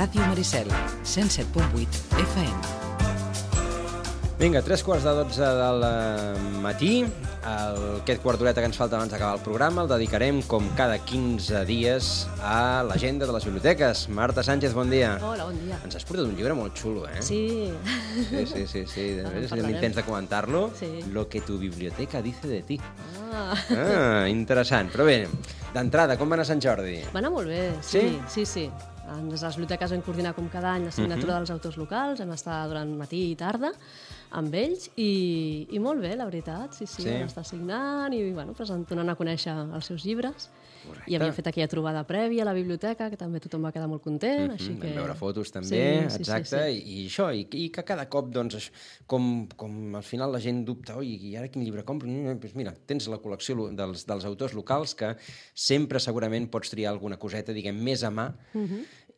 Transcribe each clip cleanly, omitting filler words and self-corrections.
Ràdio Maricel, 107.8 FM. Vinga, 3:45 del matí. Aquest quart d'horeta que ens falta abans d'acabar el programa el dedicarem, com cada 15 dies, a l'agenda de les biblioteques. Marta Sánchez, bon dia. Hola, bon dia. Ens has portat un llibre molt xulo, eh? Sí. Sí. Intents de comentar-lo. Sí. Lo que tu biblioteca dice de ti. Ah. Interessant. Però bé, d'entrada, com va anar Sant Jordi? Va anar molt bé, sí. Des de les biblioteques vam coordinar com cada any la signatura dels autors locals, vam estar durant matí i tarda amb ells i molt bé, la veritat, sí. Vam estar signant i donant a conèixer els seus llibres. Correcte. I havíem fet aquella trobada prèvia a la biblioteca, que també tothom va quedar molt content. Així que... Vam veure fotos també, sí, exacte, sí. I això, i que cada cop, doncs, com al final la gent dubta, oi, i ara quin llibre compro? Doncs mira, tens la col·lecció dels autors locals, que sempre segurament pots triar alguna coseta, diguem, més a mà,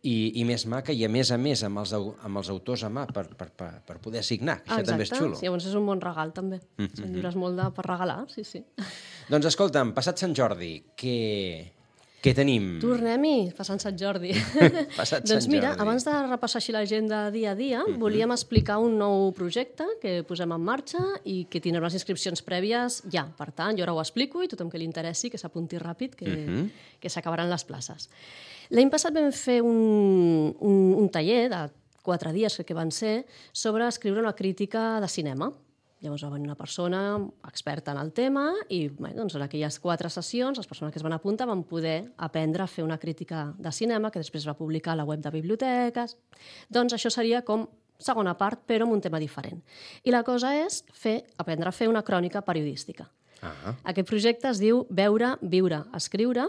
i més maca, i a més amb els autors a mà per poder signar. Això també és xulo. Sí, llavors és un bon regal, també. Són llibres molt per regalar, sí. Doncs escolta'm, passat Sant Jordi, què tenim? Tornem-hi, passant Sant Jordi. Doncs mira, abans de repassar així l'agenda dia a dia, volíem explicar un nou projecte que posem en marxa i que tindrem les inscripcions prèvies ja. Per tant, jo ara ho explico i tothom que li interessi que s'apunti ràpid, que s'acabaran les places. L'any passat vam fer un taller de 4 dies, que van ser, sobre escriure una crítica de cinema. Llavors va venir una persona experta en el tema i doncs, en aquelles 4 sessions les persones que es van apuntar van poder aprendre a fer una crítica de cinema que després va publicar a la web de biblioteques. Doncs això seria com segona part, però amb un tema diferent. I la cosa és aprendre a fer una crònica periodística. Aquest projecte es diu Veure, Viure, Escriure.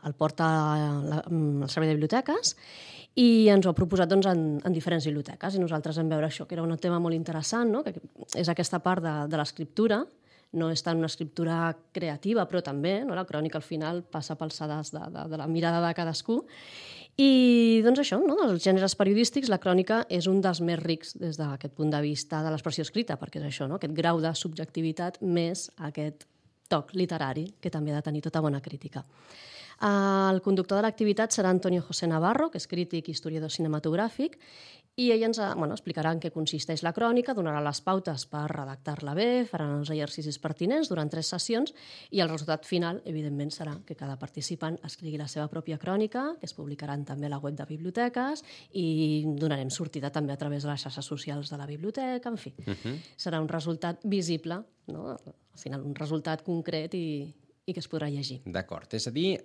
El porta el Servei de Biblioteques i ens ho ha proposat en diferents biblioteques. I nosaltres vam veure això, que era un tema molt interessant, no? Que és aquesta part de l'escriptura. No és tant una escriptura creativa, però també la crònica al final passa pel sedàs de la mirada de cadascú. I doncs això, dels gèneres periodístics, la crònica és un dels més rics des d'aquest punt de vista de l'expressió escrita, perquè és això, aquest grau de subjectivitat més aquest toc literari que també ha de tenir tota bona crítica. El conductor de l'activitat serà Antonio José Navarro, que és crític i historiador cinematogràfic, i ell ens explicarà en què consisteix la crònica, donarà les pautes per redactar-la bé, faran els exercicis pertinents durant 3 sessions i el resultat final, evidentment, serà que cada participant escrigui la seva pròpia crònica, que es publicaran també a la web de biblioteques i donarem sortida també a través de les xarxes socials de la biblioteca, en fi. Serà un resultat visible, no? Al final un resultat concret i que es podrà llegir. D'acord, és a dir,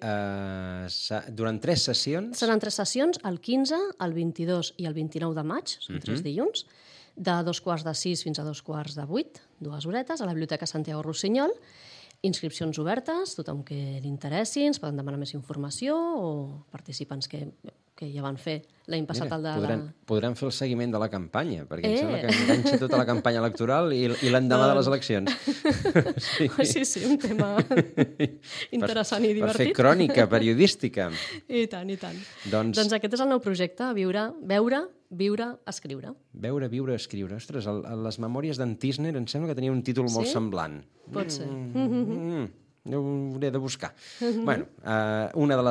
durant 3 sessions... Seran 3 sessions, el 15, el 22 i el 29 de maig, són 3 dilluns, de 5:45 fins a 7:45, 2 horetes, a la Biblioteca Santiago Rossinyol. Inscripcions obertes, tothom que li interessi, ens poden demanar més informació o participants que ja van fer l'any passat. Podrem fer el seguiment de la campanya, perquè em sembla que enganxa tota la campanya electoral i l'endemà de les eleccions. Sí, un tema interessant i divertit. Per fer crònica periodística. I tant. Doncs aquest és el nou projecte, Veure, Viure, Escriure. Veure, Viure, Escriure. Ostres, les memòries d'en Tisner em sembla que tenia un títol molt semblant. Pot ser. Ho hauré de buscar. Bueno, una de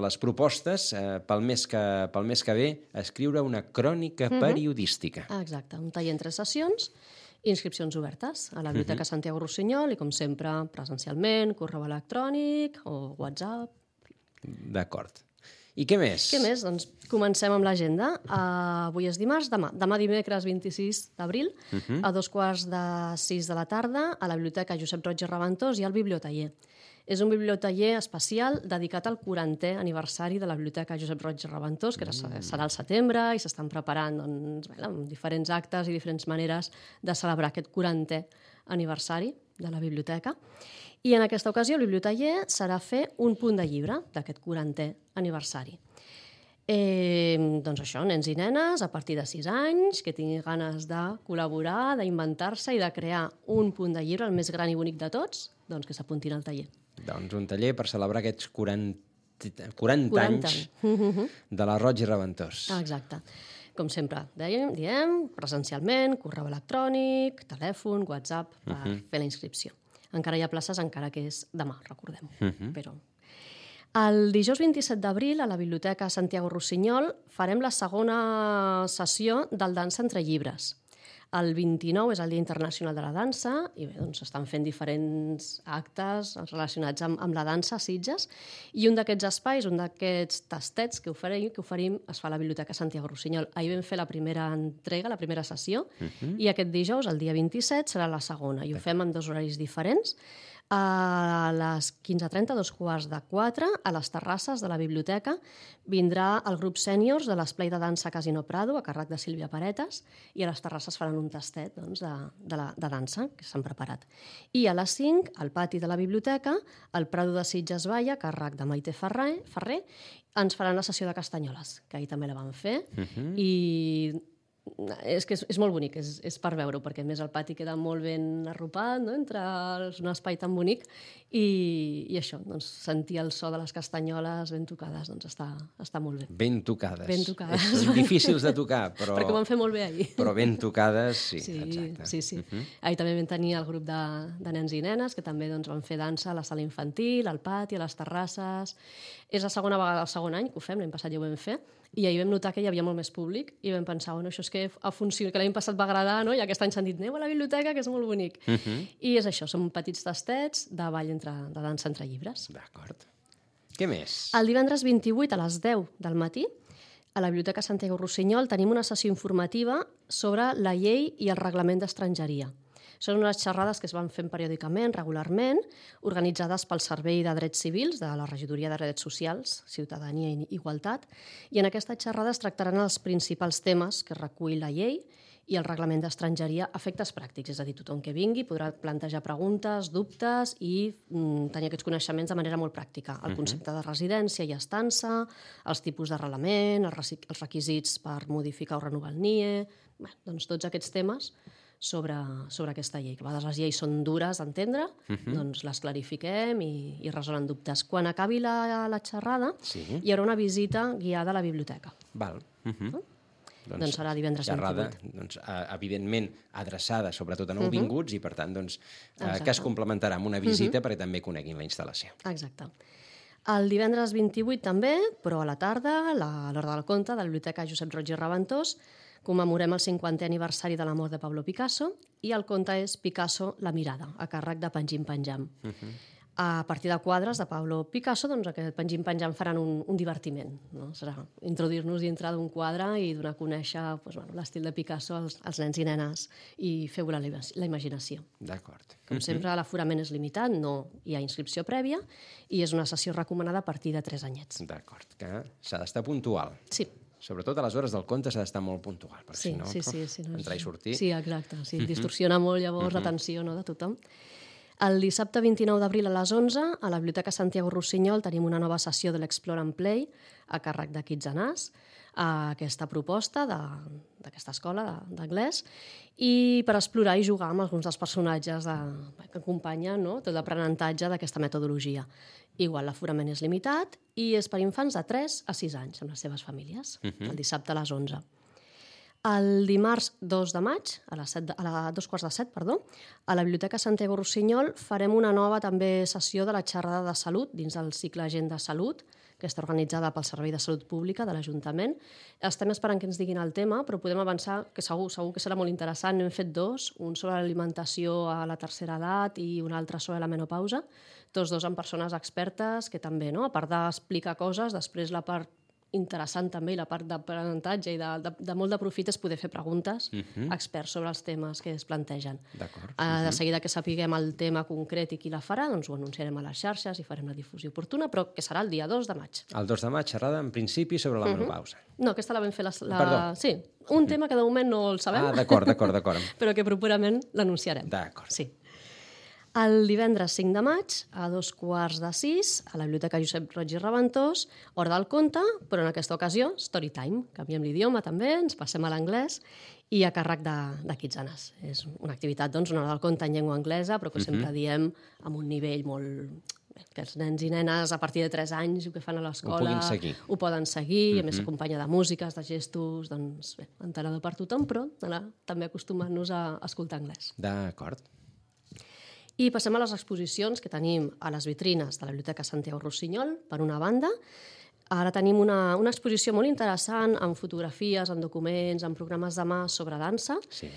les propostes pel mes que ve, escriure una crònica periodística. Exacte, un taller en 3 sessions, inscripcions obertes a la Biblioteca Santiago Rossinyol i, com sempre, presencialment, correu electrònic o WhatsApp. D'acord. I què més? Doncs comencem amb l'agenda. Avui és dimarts, demà dimecres 26 d'abril, a 5:45 de la tarda, a la Biblioteca Josep Roig i Reventós i al Bibliotaller. És un bibliotaller especial dedicat al 40è aniversari de la Biblioteca Josep Roig i Reventós, que serà al setembre i s'estan preparant amb diferents actes i diferents maneres de celebrar aquest 40è aniversari de la biblioteca. I en aquesta ocasió el bibliotaller serà fer un punt de llibre d'aquest 40è aniversari. Doncs això, nens i nenes a partir de 6 anys que tinguin ganes de col·laborar, d'inventar-se i de crear un punt de llibre, el més gran i bonic de tots, doncs que s'apuntin al taller. Doncs un taller per celebrar aquests 40 anys de la Roig i Reventós. Exacte. Com sempre, diem presencialment, correu electrònic, telèfon, WhatsApp, per fer la inscripció. Encara hi ha places, encara que és demà, recordem. Però El dijous 27 d'abril, a la Biblioteca Santiago Rossinyol, farem la segona sessió del Dansa entre llibres. El 29 és el Dia Internacional de la Dansa i bé, doncs estan fent diferents actes relacionats amb la dansa a Sitges i un d'aquests espais, un d'aquests tastets que oferim es fa a la Biblioteca Santiago Rossinyol. Ahir vam fer la primera entrega, la primera sessió, i aquest dijous, el dia 27, serà la segona i ho fem en 2 horaris diferents. A les 15:30, 15:45, a les terrasses de la biblioteca, vindrà el grup sèniors de l'esplai de dansa Casino Prado, a càrrec de Sílvia Paretes, i a les terrasses faran un tastet de dansa que s'han preparat. I a les 5, al pati de la biblioteca, el Prado de Sitges Vall, a càrrec de Maite Ferrer, ens faran la sessió de castanyoles, que ahir també la vam fer, i és que és molt bonic, és per veure-ho, perquè a més el pati queda molt ben arropat, no? Entre un espai tan bonic i això, doncs, sentir el so de les castanyoles ben tocades, doncs està molt bé. Ben tocades. Ben tocades. Són difícils de tocar, però... Perquè ho van fer molt bé ahir. Però ben tocades, sí, exacte. Sí. Ahir també vam tenir el grup de nens i nenes, que també doncs, van fer dansa a la sala infantil, al pati, a les terrasses. És la segona vegada, el segon any que ho fem, l'any passat ja ho vam fer, i ahir vam notar que hi havia molt més públic i vam pensar, bueno, això és que ha funcionat, que l'any passat va agradar, no? I aquest any s'han dit, aneu a la biblioteca, que és molt bonic. I és això, són petits tastets de ball de dansa entre llibres. D'acord. Què més? El divendres 28 a les 10 del matí, a la Biblioteca Santiago Rossinyol, tenim una sessió informativa sobre la llei i el reglament d'estrangeria. Són unes xerrades que es van fent periòdicament, regularment, organitzades pel Servei de Drets Civils de la Regidoria de Drets Socials, Ciutadania i Igualtat, i en aquesta xerrada es tractaran els principals temes que recull la llei i el reglament d'estrangeria a efectes pràctics, és a dir, tothom que vingui podrà plantejar preguntes, dubtes i tenir aquests coneixements de manera molt pràctica. El concepte de residència i estança, els tipus d'arrelament, els requisits per modificar o renovar el NIE, doncs tots aquests temes sobre aquesta llei. Que a vegades les lleis són dures d'entendre, doncs les clarifiquem i resolen dubtes. Quan acabi la xerrada, hi haurà una visita guiada a la biblioteca. Val. Doncs serà divendres 28. Xerrada, doncs, evidentment, adreçada sobretot a nouvinguts i, per tant, doncs, que es complementarà amb una visita perquè també coneguin la instal·lació. Exacte. El divendres 28 també, però a la tarda, a l'hora del conte, de la Biblioteca Josep Roig i Raventós, commemorem el 50è aniversari de la mort de Pablo Picasso i el conte és Picasso, la mirada, a càrrec de Pengim Penjam. A partir de quadres de Pablo Picasso, doncs aquest Pengim Penjam faran un divertiment. No? Serà introduir-nos dintre d'un quadre i donar a conèixer l'estil de Picasso als nens i nenes i fer volar la imaginació. D'acord. Com sempre, l'aforament és limitat, no hi ha inscripció prèvia i és una sessió recomanada a partir de 3 anyets. D'acord, que s'ha d'estar puntual. Sí. Sobretot a les hores del conte s'ha d'estar molt puntual, perquè si no, entrar i sortir... Sí, exacte. Sí, distorsiona molt llavors l'atenció de tothom. El dissabte 29 d'abril a les 11, a la Biblioteca Santiago Rossinyol tenim una nova sessió de l'Explore and Play a càrrec de Kitsanàs, aquesta proposta d'aquesta escola d'anglès, i per explorar i jugar amb alguns dels personatges que acompanyen tot l'aprenentatge d'aquesta metodologia. Igual l'aforament és limitat i és per infants de 3 a 6 anys amb les seves famílies, el dissabte a les 11. El dimarts 2 de maig, a 2:45, a la Biblioteca Santiago Rossinyol farem una nova també sessió de la xerrada de salut dins del cicle Agenda Salut, que està organitzada pel Servei de Salut Pública de l'Ajuntament. Estem esperant que ens diguin el tema, però podem avançar que segur que serà molt interessant. N'hem fet 2, un sobre l'alimentació a la tercera edat i un altre sobre la menopausa, tots 2 amb persones expertes que també, a part d'explicar coses, després la part interessant també i la part d'aprenentatge i de molt de profit és poder fer preguntes a experts sobre els temes que es plantegen. D'acord. De seguida que sapiguem el tema concret i qui la farà, doncs ho anunciarem a les xarxes i farem la difusió oportuna, però que serà el dia 2 de maig. El 2 de maig, xerrada, en principi, sobre la menopausa. No, aquesta la vam fer Perdó. Sí, un tema que de moment no el sabem. D'acord. Però que properament l'anunciarem. D'acord. Sí. El divendres 5 de maig, a 5:45, a la Biblioteca Josep Roig i Raventós, hora del conte, però en aquesta ocasió, story time. Canviem l'idioma també, ens passem a l'anglès i a càrrec de Kitsanàs. És una activitat, doncs, una hora del conte en llengua anglesa, però que sempre diem amb un nivell molt... que els nens i nenes a partir de 3 anys que fan a l'escola ho poden seguir, a més s'acompanya de músiques, de gestos, doncs bé, entenedor per tothom, però també acostumant-nos a escoltar anglès. D'acord. I passem a les exposicions que tenim a les vitrines de la Biblioteca Santiago Rossinyol, per una banda. Ara tenim una exposició molt interessant amb fotografies, amb documents, amb programes de mà sobre dansa. Sí.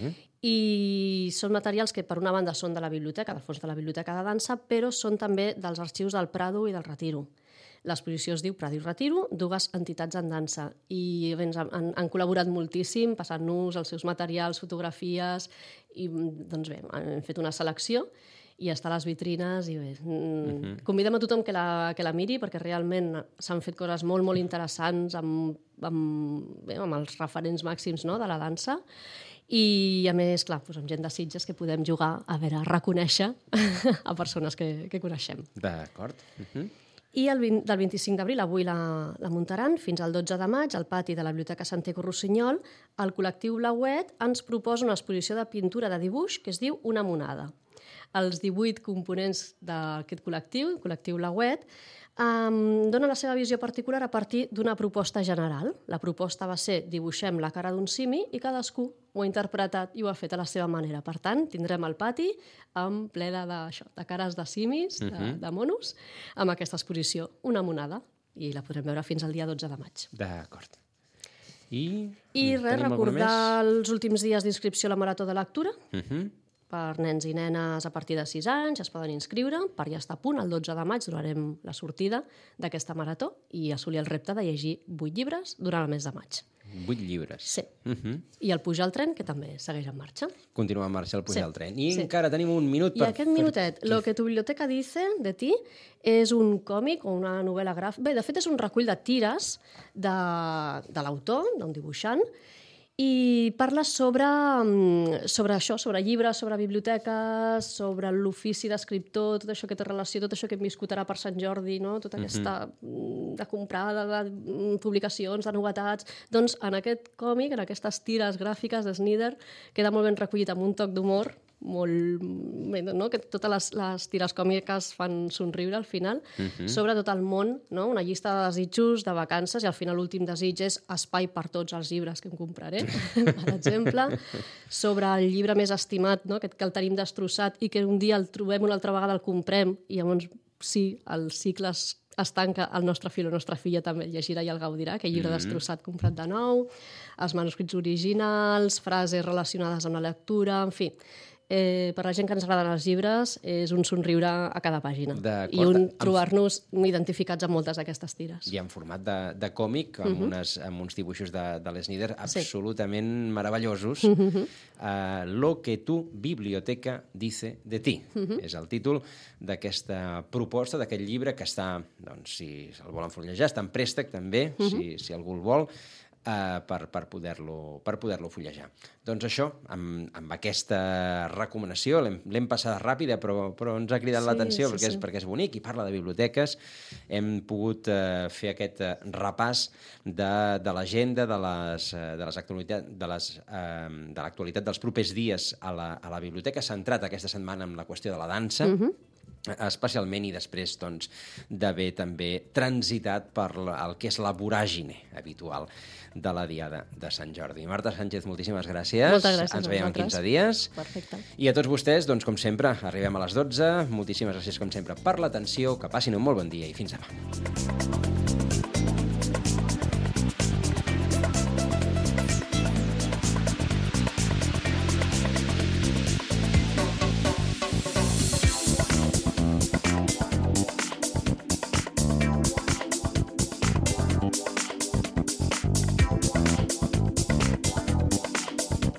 I són materials que, per una banda, són de la biblioteca, del fons de la Biblioteca de Dansa, però són també dels arxius del Prado i del Retiro. L'exposició es diu Prado i Retiro, dues entitats en dansa. I bé, han col·laborat moltíssim, passant-nos els seus materials, fotografies, i doncs bé, hem fet una selecció i està a les vitrines i bé, convidem a tothom que la miri perquè realment s'han fet coses molt, molt interessants amb els referents màxims, no?, de la dansa. I, a més, clar, amb gent de Sitges que podem jugar a reconèixer a persones que coneixem. D'acord. I del 25 d'abril, avui la muntaran, fins al 12 de maig, al pati de la Biblioteca Santiago Rossinyol, el col·lectiu Blauet ens proposa una exposició de pintura de dibuix que es diu Una monada. Els 18 components d'aquest col·lectiu, el col·lectiu Blauet, dona la seva visió particular a partir d'una proposta general. La proposta va ser dibuixem la cara d'un simi i cadascú ho ha interpretat i ho ha fet a la seva manera. Per tant, tindrem el pati amb ple de cares de simis, de monos, amb aquesta exposició, Una monada, i la podrem veure fins al dia 12 de maig. D'acord. I res, recordar els últims dies d'inscripció a la Marató de Lectura, per nens i nenes a partir de 6 anys, es poden inscriure, per ja estar a punt, el 12 de maig donarem la sortida d'aquesta marató i assolir el repte de llegir 8 llibres durant el mes de maig. 8 llibres. Sí. I el Pujar al tren, que també segueix en marxa. Continua en marxa el Pujar al tren. I encara tenim un minut per... I aquest minutet, Lo que tu biblioteca dice de ti, és un còmic o una novel·la gràfica. Bé, de fet, és un recull de tires de l'autor, d'un dibuixant, i parla sobre això, sobre llibres, sobre biblioteques, sobre l'ofici d'escriptor, tot això que té relació, tot això que hem viscut ara per Sant Jordi, no? Tota aquesta de comprar de publicacions, de novetats. Doncs en aquest còmic, en aquestes tires gràfiques de Snyder, queda molt ben recollit amb un toc d'humor, molt bé, no? Que totes les tires còmiques fan somriure al final, sobre tot el món, no? Una llista de desitjos, de vacances, i al final l'últim desig és espai per tots els llibres que em compraré, per exemple, sobre el llibre més estimat, no? Que el tenim destrossat i que un dia el trobem una altra vegada, el comprem, i llavors sí, el cicle es tanca, el nostre fill o la nostra filla també el llegirà i el gaudirà, aquell llibre destrossat comprat de nou, els manuscrits originals, frases relacionades amb la lectura, en fi. Per la gent que ens agraden els llibres és un somriure a cada pàgina i trobar-nos identificats amb moltes d'aquestes tires. I en format de còmic, amb uns dibuixos de l'Snyder absolutament meravellosos. Lo que tu biblioteca dice de ti. És el títol d'aquesta proposta, d'aquest llibre que està, doncs, si el volen fullejar, està en préstec també, si algú el vol, per poder-lo fullejar. Doncs això, amb aquesta recomanació, l'hem passada ràpida, però ens ha cridat l'atenció perquè és bonic i parla de biblioteques. Hem pogut fer aquest repàs de l'agenda, de l'actualitat dels propers dies a la biblioteca, centrat aquesta setmana en la qüestió de la dansa, especialment, i després d'haver també transitat per el que és la voràgine habitual de la Diada de Sant Jordi. Marta Sánchez, moltíssimes gràcies. Moltes gràcies. Ens veiem en 15 dies. Perfecte. I a tots vostès, com sempre, arribem a les 12. Moltíssimes gràcies, com sempre, per l'atenció. Que passin un molt bon dia i fins demà.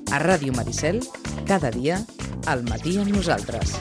A Ràdio Maricel, cada dia, al matí amb nosaltres.